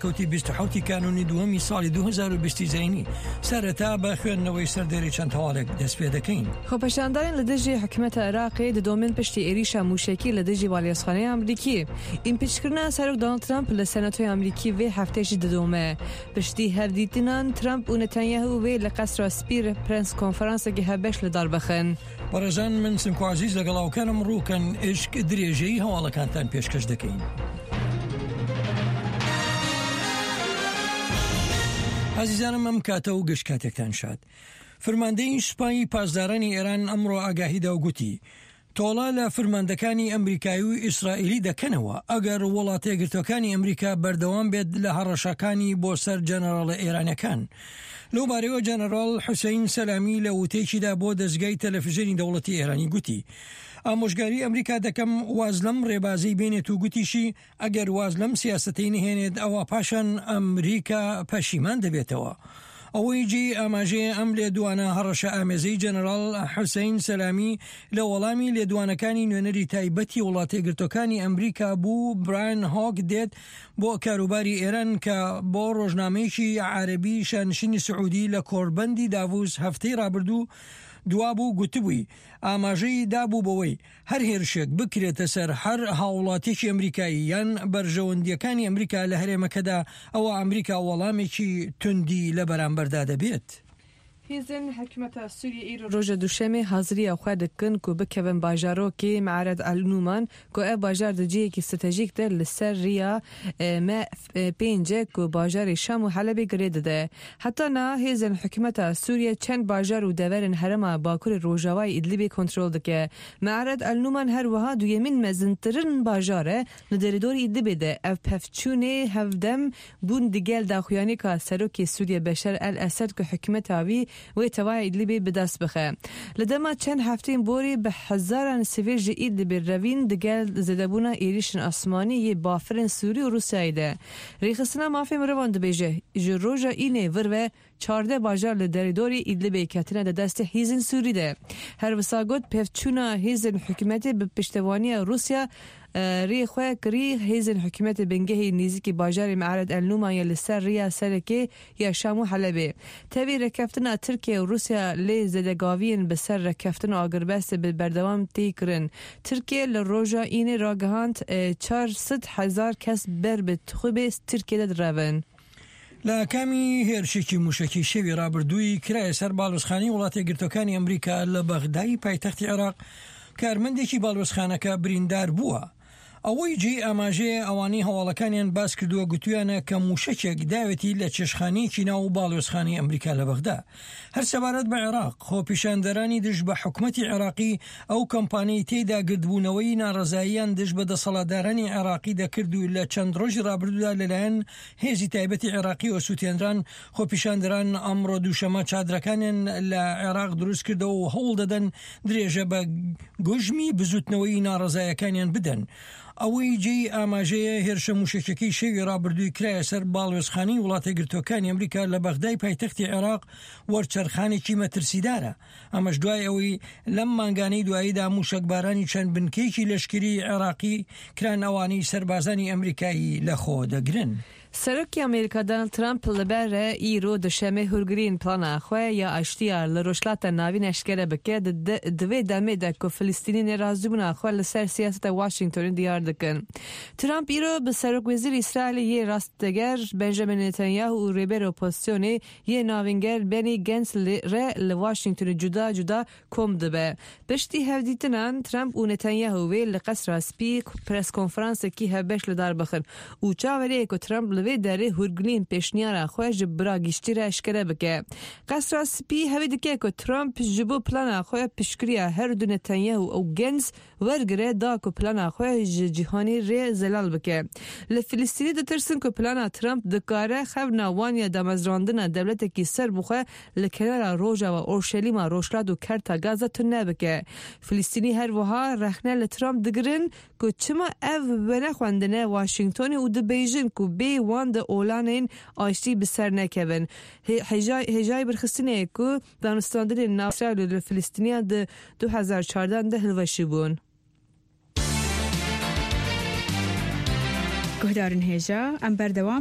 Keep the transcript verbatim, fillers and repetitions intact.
کەوتی بیست و حەوتی کانونی دووەمی ساڵی دوو هەزار و بیست زینی. سەرەتا بە خوێندنەوەی سەردێری چەند هەواڵێک دەست پێ دەکەین. خۆپەشاندانین لە دژی حکومەتە عێراقی دەدۆمن پشتی عێریشە موشەکی لە دژی باڵیۆزخانەی ئەمریکی. ئیمپیچکردنا سەرۆک دۆناڵد ترامپ لە سەناتۆی ئەمریکی vê heftê jî didome. Piştî hevdîtinan Trump û Netanyahu wê li Qesra Spî re prens konferansekî hevbeş li dar bixin. بەڕێزان، من سمکۆ عەزیز لەگەڵ ئاوکانم ڕووکەن ئشک درێژەی هەواڵەکانتان پێشکەش دەکەین. ئازیزانم، ئەم کاتە و گشت کاتێکتان شاد. فرماندەی سوپای پاسدارانی ئێران ئەمڕۆ ئاگاهیدا و گوتی، تۆڵە لە فرماندەکانی ئەمریکایی و ئیسرائیلی دەکەنەوە، ئەگەر وڵاتە یەکگرتوەکانی ئەمریکا بەردەوام بێت لە هەڕەشەکانی بۆ سەر جەنەراڵە ئێرانەکان. لەو بارەوە جەنەراڵ حوسەین سەلامی لە وتەیەکیدا بۆ دەستگای تەلەفیزیۆنی دەوڵەتی ئێرانی گوتی، ئامۆژگاری ئەمریکا دەکەم واز لەم ڕێبازەی بێنێت و گوتیشی، ئەگەر واز لەم سیاسەتەی نهێنێت، ئەوە پاشان ئەمریکا پەشیمان دەبێتەوە. ئەوەی جێی ئاماژەیە، ئەم لێدوانە هەڕەشە ئامێزەی جەنەراڵ حوسەین سەلامی لە وەڵامی لێدوانەکانی نوێنەری تایبەتی وڵاتە یەکگرتوەکانی ئەمریکا بوو، براین هۆک دێت بۆ کاروباری ئێران کە بۆ ڕۆژنامەیەکی عەرەبی شانشینی سعودی لە کۆربەندی داڤوس هەفتەی ڕابردوو دوابوو گوتبووی، ئاماژەی دابوو بەوەی هەر هێرشێک بکرێتە سەر هەر هاوڵاتیەکی ئەمریکایی یان بەرژەوەندیەکانی ئەمریکا لە هەرێمەکەدا، ئەوە ئەمریکا وەڵامێکی توندی لە بەرامبەردا دەبێت. Hêzên hikûmeta Sûriyê îro roja Duşemê haziriya xwe dikin ku bikevin bajarokê Me'red El Nûman, ku ev bajar di cihekî stratejîk de li ser riya, e, M pênc e ku bajarê Şam û Helebê girê dide. Heta niha hêzên hikûmeta Sûriye çend bajar û deverên herêma Bakurê Rojavayê Îdlibê kontrol dike. Me'red El Nûman her wiha duyemîn mezintirin bajar e li derîdorî Îdlibê de. Ev pevçûnê hevdem bûn digel daxuyanîka serokê Sûriye Beşar El Esed ku hikûmeta wî wê tevaya Îdlibê bi dest bixe. Li dema çend hefteyên borî bi hezaran sivîl ji Îdlibê revîn digel zêdebûna êrîşên asmanî yê bafirên Sûrî û Rûsyayê de. Rêxistina mafê mirovan dibêje, ji roja Înê vir ve çardeh bajar li derîdorî Îdlibê ketine di destê hêzên Sûrî de. Her wisa got, pevçûna hêzên hikûmetê bi piştevaniya Rûsya, e, rê xwe kirî hêzên hikûmetê bingehî nêzîkî bajarê Me'red El Nûman ye li ser riya serekê ya Şam û Helebê. Tevî rêkeftina Tirkiye û Rûsya lê zêdegaviyên bi ser rêkeftin û agirbestê bi berdewam tê kirin. Tirkiye li roja Înê ragihand, e, çar sed hezar kes ber bi tixûbê Tirkiye de direvin. لە کامی هێرشێکی موشەکی شەوی ڕابردووی کرایە سەر باڵوێزخانەی وڵاتە یەکگرتوەکانی ئەمریکا لە بەغدای پایتەختی عێراق، کارمەندێکی باڵوێزخانەکە بریندار بووە. ئەوەی جێی ئاماژەیە، ئەوانەی هەواڵەکانیان باس کردووە گوتویانە کە موشەکێک داوێتی لە چێشخانەیەکی ناو باڵوێزخانەی ئەمریکا لە بەغدا. هەر سەبارەت بە عێراق، خۆپیشاندەرانی دژ بە حکومەتی عێراقی ئەو کەمپانەی تێدا گردبوونەوەی ناڕەزاییان دژ بە دەسەڵاتدارانی عێراقی دەکرد و لە چەند ڕۆژی ڕابردوودا لەلایەن هێزی تایبەتی عێراقیەوە سووتێنران. خۆپیشاندەران ئەمڕۆ دووشەمە چادرەکانیان لە عێراق دروست کردەوە و هەوڵ دەدەن درێژە بە گوژمی بزوتنەوەی ناڕەزایەکانیان بدەن. ئەوەی جێی ئاماژەیە، هێرشە موشەکیەکەی شەوی ڕابردووی کرایە سەر باڵوێزخانەی وڵاتە گرتوەکانی ئەمریکا لە بەغدای پایتەختی عێراق وەرچەرخانێکی مەترسیدارە. ئەمەش دوای ئەوەی لەم مانگانەی دواییدا موشەکبارانی چەند بنکەیەکی لەشکری عێراقی کران، ئەوانەی سەربازانی ئەمریکایی لەخۆ دەگرن. Serokê Amerîka Donald Trump li ber re îro duşemê hûrgirîn plana xwe ya aştiya li Rojhilata Navîn eşkere bike, di, di, di vê demê de ku Filistînî nerazîbûna xwe li ser siyaseta Washingtonê diyar dikin. Trump îro bi Serokwezîrê Îsraîlê yê rastdeger Benjamin Netanyahu û rêberê opozisyonê yê navînger Benny Gantz li, re li Washingtonê cuda cuda kom dibe. Piştî hevdîtinan Trump û Netanyahu wê li Qesra Spî preskonferansekî hevbeş li dar bixin û çaverê ye ku Trump li vê derê hûrgilîn pêşniyara xwe ji bira giştî re eşkere bike. Qesra Spî hevî dike ku Trump ji bo plana xwe piştgiriya her du Netanyahu û Gantz wergire da ku plana xwe ji cîhanê re zelal bike. Li Filistînî ditirsin ku plana Trump dikare xewna wan ya damezrandina dewletekî serbixwe li kenara rojava Orşelîma, Rojhilat û Kerta Gaza tune bike. Filistînî her wiha rexne li Trump digirin ku çima ev venexwendine Washingtonê û dibêjin ku bê wan di olanên aştî bi ser nekevin. Hê-, hêja-, hêjayî birxistinê ye ku danûstandinên nav Îsraîl û li Filistîniya di du hezar çardeh de hilweşî bûn. Guhdarên hêja, em berdewam